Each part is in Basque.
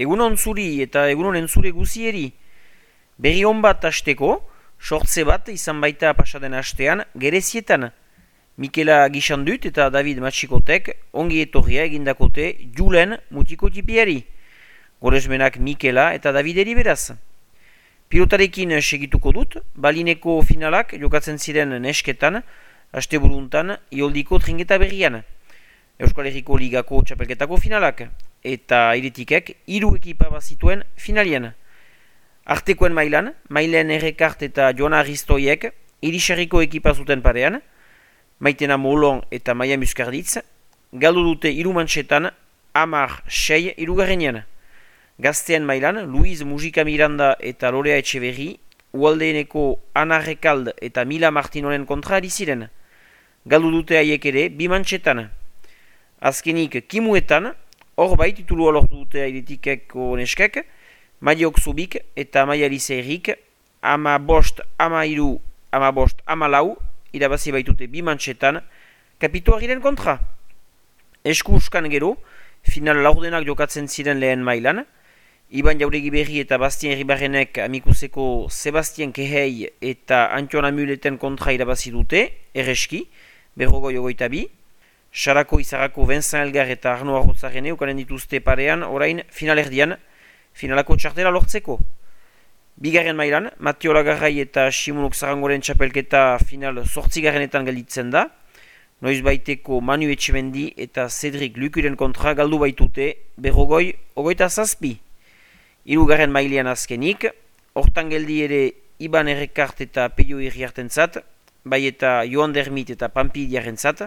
Egunon zuri eta egunon entzule guzieri. Berri on bat hasteko, sortze bat izan baita pasaden hastean Gerezietan. Mikela Gixandut eta David Matxikotek ongi etorria egindakote Julen mutiko tipiari. Goresmenak Mikela eta Davideri beraz. Pilotarekin segituko dut, balineko finalak jokatzen ziren nesketan, asteburuntan ioldiko tringeta berrian. Euskal Herriko Ligako txapelketako finalak, eta iritikek 3 ekipa bazituen finalian. Artekoen Mailen Errekart eta Joana Aristoiek Irisarriko ekipa zuten parean, Maitena Molon eta Maia Muskarditz, galdu dute 3 mantxetan 10-6 hirugarrenean. Gazteen mailan, Luiz Mujika Miranda eta Lorea Etxeberri, Ualdeeneko Ana Rekald eta Mila Martinoren kontra ari ziren. Galdu dute haiek ere 2 mantxetan. Azkenik kimuetan, hor bai titulua lortu dute airetikeko neskek, Maiok Zubik eta Maia Lizerik, 15, 13, 15, 14, irabazi baitute 2 mantxetan, kapituariren kontra. Eskuskan gero, final laurdenak jokatzen ziren lehen mailan, Iban Jauregi Berri eta Bastien Ribarrenek amikuseko Sebastien Kehei eta Antion Amuleten kontra irabazi dute, erreski, 52. Sarako Izarako Vincent Elgar eta Arno Arrotzarene ukanen dituzte parean orain finalerdian, finalako txartela lortzeko. Bigarren mailan, Mateo Lagarrai eta Simonok Zarangoren txapelketa final 8. gelditzen da, noiz baiteko Manu Etxemendi eta Cedric Lukuren kontra galdu baitute 27. 3. mailean azkenik, hortan geldi ere Iban Errekart eta Peio Irriartentzat, bai eta Joan Dermit eta Pampi Diarentzat,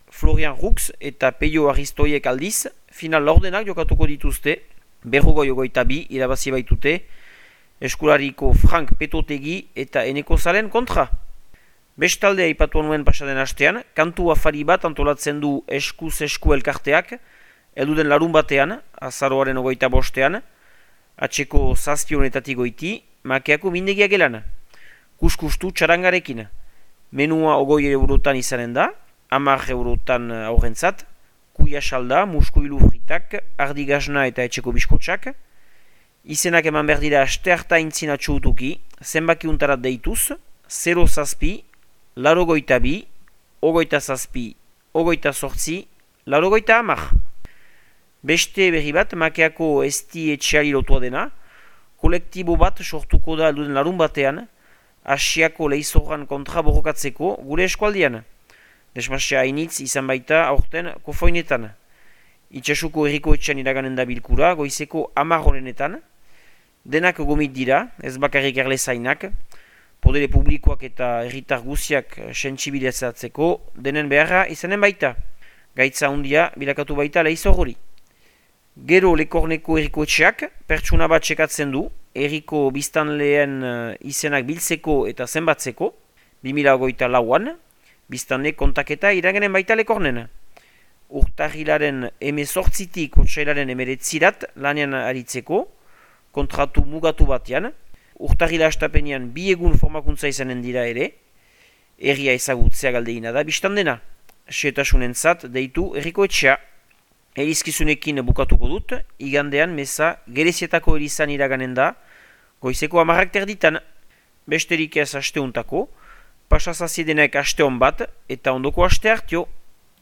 Florian Rux eta Peio Aristoiek aldiz, final laurdenak jokatuko dituzte, 52 irabazi baitute, eskulariko Frank Petotegi eta Eneko Zalen kontra. Bestalde aipatu nuen pasaden hastean, kantu afari bat antolatzen du eskuz esku elkarteak, elduden larun batean, azaroaren 25, atxeko 7 honetatik goiti, makeako mindegia gelan. Kuskustu txarangarekin. Menua 20 eurotan izanen da, 10 eurotan aurrentzat, kuia salda, muskuilu fritak, ardigazna eta etxeko biskotxak. Izenak eman behar dira aste harta intzina txutuki, zenbaki untarat deituz, 0 zazpi, 82, 27, 28, 10. Beste berri bat, makeako esti etxeari lotua dena, kolektibo bat sortuko da alduden larun batean, Asiako lehizorran kontra borrokatzeko gure eskualdian. Desmasia hainitz izan baita aurten kofoinetan. Itxasuko herriko etxean iraganen da bilkura, goizeko 10 honenetan. Denak gomit dira, ez bakarrik erlezainak, podere publikoak eta herritar guziak sentsibilizatzeko denen beharra izanen baita. Gaitza handia bilakatu baita lehizor hori. Gero Lekorneko herriko etxeak pertsuna bat txekatzen du, herriko biztanleen izenak biltzeko eta zenbatzeko, 2024an, biztanle kontaketa iragenen baita Lekornen. Urtarrilaren 18tik otsailaren 19 lanean aritzeko, kontratu mugatu batean, urtarrila astapenean 2 egun formakuntza izanen dira ere, herria ezagutzea galdeina da biztandena. Xetasunentzat deitu herriko etxea. Erizkizunekin bukatuko dut, igandean meza Gerezietako erizan iraganen da, goizeko 10 besterik ez asteuntako, pasazaziedenek aste hon bat eta ondoko aste hartio.